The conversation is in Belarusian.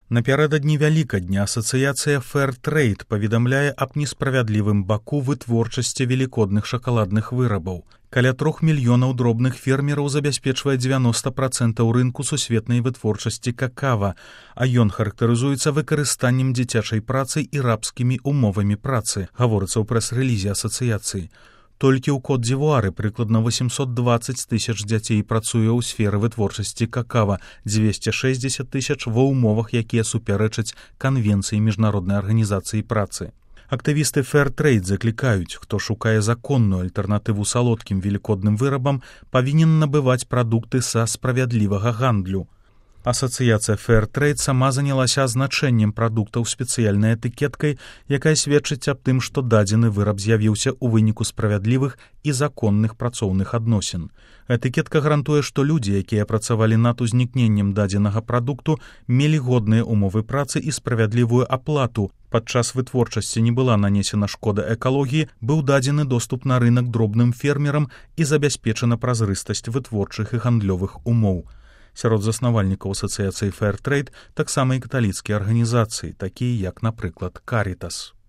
Напярэдадні Вялікадня асацыяцыя Fairtrade паведамляе аб несправядлівым баку вытворчасці велікодных шакаладных вырабаў. Каля 3 мільёнаў дробных фермераў забяспечвае 90% рынку сусветнай вытворчасці какава, а ён характарызуецца выкарыстаннем дзіцячай працы і рабскімі умовамі працы, гаворыцца ў прэс-рэлізе асацыяцыі. Толькі ў Кот-дзівуары прыкладна 820 тысяч дзяцей працуе ў сферы вытворчасці какава, 260 тысяч ва ўмовах, якія супярэчаць канвенцыі міжнароднай арганізацыі працы. Актывісты Fairtrade заклікаюць, хто шукае законную альтэрнатыву салодкім велікодным вырабам, павінен набываць прадукты са справядлівага гандлю. Асацыяцыя Fairtrade сама занялася азначэннем прадуктаў спецыяльнай этыкеткай, якая сведчыць аб тым, што дадзены выраб з'явіўся ў выніку справядлівых і законных працоўных адносін. Этыкетка гарантуе, што людзі, якія працавалі над узнікненнем дадзенага прадукту, мелі годныя умовы працы і справядлівую аплату. Падчас вытворчасці не была нанесена шкода экалогіі, быў дадзены доступ на рынак дробным фермерам і забяспечана празрыстасць вытворчых і гандлёвых умоў. Сярод заснавальнікаў асацыяцыі Fairtrade таксама і каталіцкія арганізацыі, такія як, напрыклад, Карітас.